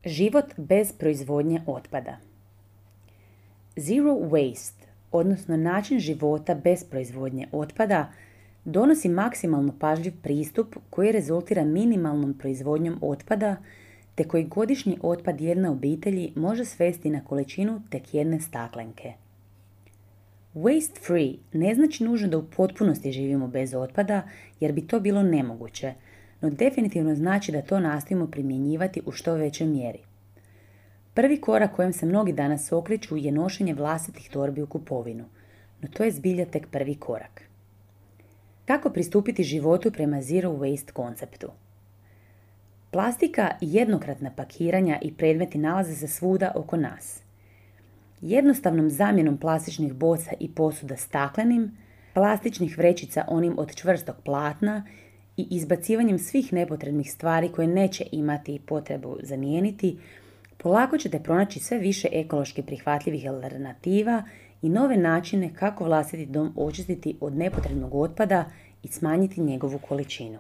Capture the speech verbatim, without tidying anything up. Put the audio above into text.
Život bez proizvodnje otpada. Zero waste, odnosno način života bez proizvodnje otpada, donosi maksimalno pažljiv pristup koji rezultira minimalnom proizvodnjom otpada, te koji godišnji otpad jedne obitelji može svesti na količinu tek jedne staklenke. Waste free ne znači nužno da u potpunosti živimo bez otpada, jer bi to bilo nemoguće, no definitivno znači da to nastojimo primjenjivati u što većoj mjeri. Prvi korak kojem se mnogi danas okreću je nošenje vlastitih torbi u kupovinu, no to je zbilja tek prvi korak. Kako pristupiti životu prema zero waste konceptu? Plastika i jednokratna pakiranja i predmeti nalaze se svuda oko nas. Jednostavnom zamjenom plastičnih boca i posuda staklenim, plastičnih vrećica onim od čvrstog platna i izbacivanjem svih nepotrebnih stvari koje neće imati potrebu zamijeniti, polako ćete pronaći sve više ekološki prihvatljivih alternativa i nove načine kako vlastiti dom očistiti od nepotrebnog otpada i smanjiti njegovu količinu.